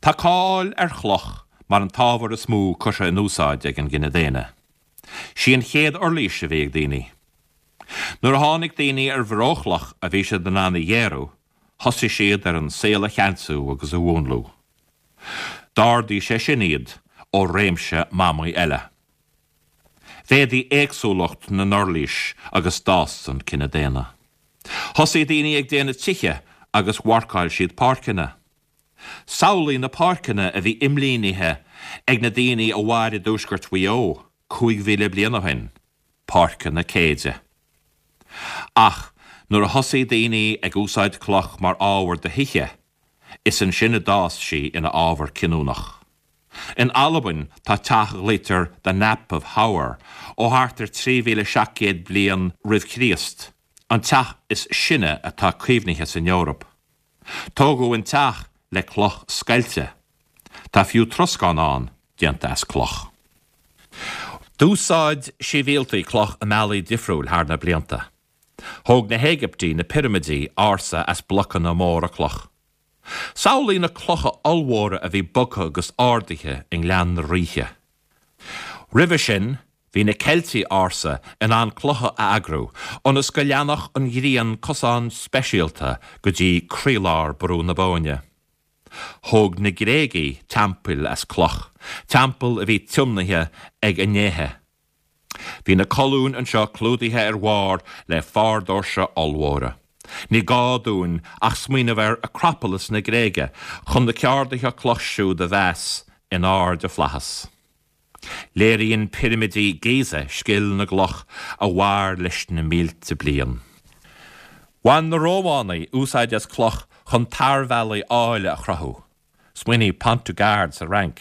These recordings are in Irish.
Tá cáil ar chloch mar an t-ábhar is mó curtha in úsáid ag an gcine daonna. Sí an chéad uirlís a bhí ag daoine. Nuair a tháinig daoine ar bhreochloch a bhí siad in ann a ghéarú, thosaigh siad ar an saol a cheansú agus a mhúnlú. D'ardaigh sé sin iad ó réimse mamaigh eile. Mhéadaigh éagsúlacht na n-uirlís agus d'fhás an cine daonna. Thosaigh daoine ag déanamh tithe agus mharcáil siad páirceanna. Samhlaigh na páirceanna a bhí imlínithe ag na daoine a mhair i dtuaisceart Mhaigh Eo 5,000 bliain ó shin, páirceanna céide. Ach nuair a thosaigh daoine ag úsáid cloch mar ábhar do thithe, is ansin a d'fhás sí ina ábhar cinniúnach. In Albain tá teach a ghlaoitear The Knap of Howar ó thart ar 3700 bliain roimh Chríost, an teach is sine atá caomhnaithe san Eoraip. Tógadh an teach le cloch scoilte. Tá fiú troscán ann déanta as cloch. D'úsáid sibhialtaigh cloch i mbealaí difriúil thar na blianta. Thóg na hÉigiptigh na pirimidí ársa as blocanna móra cloch. Samhlaigh na clocha ollmhóra a bhí bogtha agus ardaithe i nGleann na Ríthe. Roimhe sin, bhí na Ceiltigh ársa in ann clocha a eagrú ionas go leanfadh an ghrian cosán speisialta go dtí croílár Brú na Bóinne. Thóg na Gréagaigh teampaill as cloch, teampaill a bhí tiomnaithe ag a ndéithe. Bhí na colúin anseo clúdaithe ar bharr le fardóirse ollmhóra. Ní gá dúinn ach smaoineamh ar Acropolis na Gréige chun na ceardaithe cloch siúd a mheas in airde flaitheas. Léiríonn pirimidí Giza scil na gcloch a mhair leis na mílte bliain. Bhain na Rómhánaigh úsáid as cloch chun tarbhealaí áille a chruthú. Smaoinigh Pont du Gard sa Fhrainc.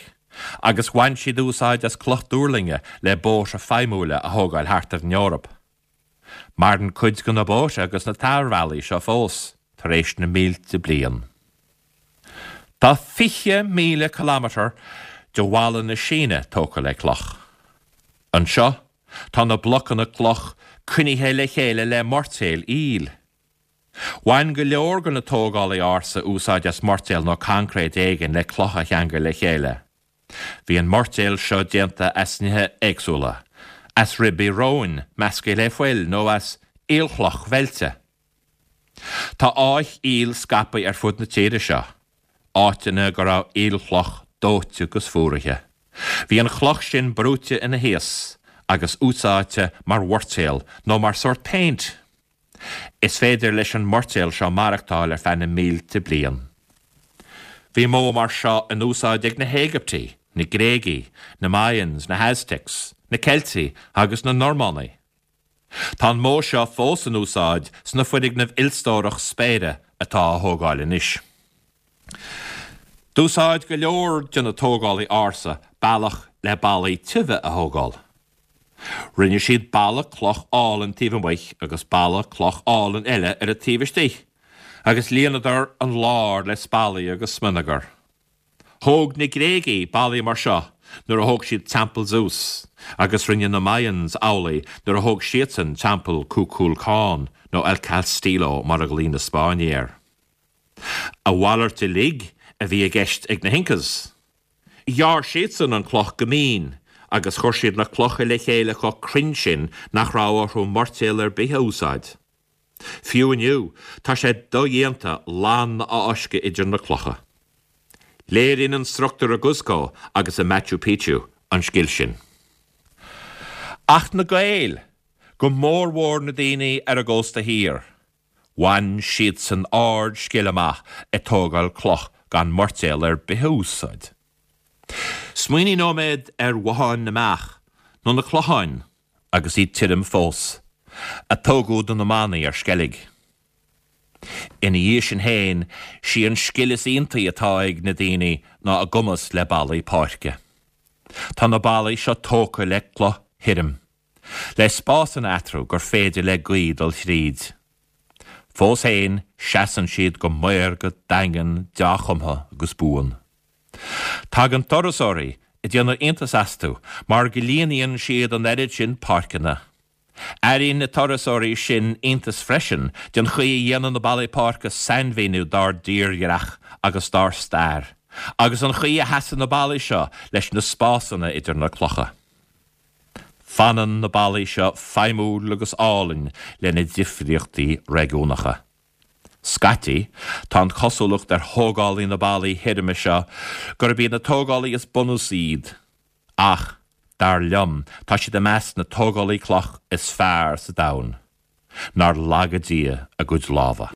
Agus bhain siad úsáid as cloch duirlinge le bóithre feidhmiúla a thógáil thart ar an Eoraip. Maireann cuid de na bóithre agus na tarbhealaí seo fós tar éis na mílte bliain. Tá 20,000 kilometre de bhalla na Síne tógtha le cloch. Anseo tá na blocanna cloch coinnithe le chéile le moirtéal aoil. Bhain go leor de na tógálaí ársa úsáid as moirtéal nó coincréit éigin le clocha a cheangal le chéile. Bhí an moirtéal seo déanta as nithe éagsúla, as ribí róin measctha le fuil nó as aolchloch mheilte. Tá áith aoil scaipthe ar fud na tíre seo, áiteanna go raibh aolchloch dóite agus fuaraithe. Bhí an chloch sin brúite ina thaos agus úsáidte mar mhoirtéal nó mar sórt péint. Is féidir leis an moirtéal seo maireachtáil ar feadh na mílte bliain. Bhí modh mar seo in úsáid ag na hÉigiptigh, na Gréagaigh, na Mayans, na hAztecs, na Ceiltigh agus na Normánaigh. Tá an modh seo fós in úsáid sna foirgnimh ilstórach spéire atá á thógáil anois. D'úsáid go leor de na tógálaí ársa bealach le ballaí tiubha a thógáil. Rinne siad balla cloch álainn taobh amuigh agus balla cloch álainn eile ar an taobh istigh, agus líonadar an lár le spallaí agus smionagar. Thóg na Gréagaigh ballaí mar seo nuair a thóg siad teampall Zeus, agus rinne na Mayans amhlaidh nuair a thóg siadsan teampall Kukulcán, nó El Castillo mar a ghlaoigh na Spáinnigh air. A mhalairt uilig a bhí i gceist ag na hIncas. Ghearr siadsan an cloch go mín agus chuir siad na clocha le chéile chomh cruinn sin nach raibh orthu moirtéal ar bith a úsáid. Fiú inniu, tá sé dodhéanta lann a fháisceadh idir na clocha. Léiríonn an struchtúr i gCuzco agus i Machu Picchu an scil sin. Ach na Gaeil, go mórmhór na daoine ar an gcósta thiar, Bhain siadsan ard-scil amach ag tógáil cloch gan moirtéal ar bith a úsáid. Smaoinigh nóiméad ar bhotháin na mbeach, nó na clocháin, agus iad tirim fós, a tógadh do na manaigh ar Sceilg. Ina dhiaidh sin féin, sí an scil is iontaí atá ag na daoine ná a gcumas le ballaí páirce. Tá na ballaí seo tógtha le cloch thirim. Le spásanna eatarthu gur féidir le gaoth dul thríd. Fós féin, seasann siad go maorga, daingean, dea-chumtha agus buan. Tagann turasóirí ag déanamh iontas astu mar go líonaíonn siad an oiread sin páirceanna. Airíonn na turasóirí sin iontas freisin den chaoi a dhéanann na ballaí páirce sainmhíniú dár dtírdhreach agus dár stair. Agus an chaoi a sheasann na ballaí seo leis na spásanna idir na clocha. Fanann na ballaí seo feidhmiúil agus álainn lena ndifríochtaí réigiúnacha. Scaití, tá an chosúlacht ar thógálaí na ballaí thirime seo gurb iad na tógálaí is bunúsaí iad, ach, dar liom, tá siad i measc na tógálaí cloch is fearr sa domhan. Nár laga Dia a gcuid lámha.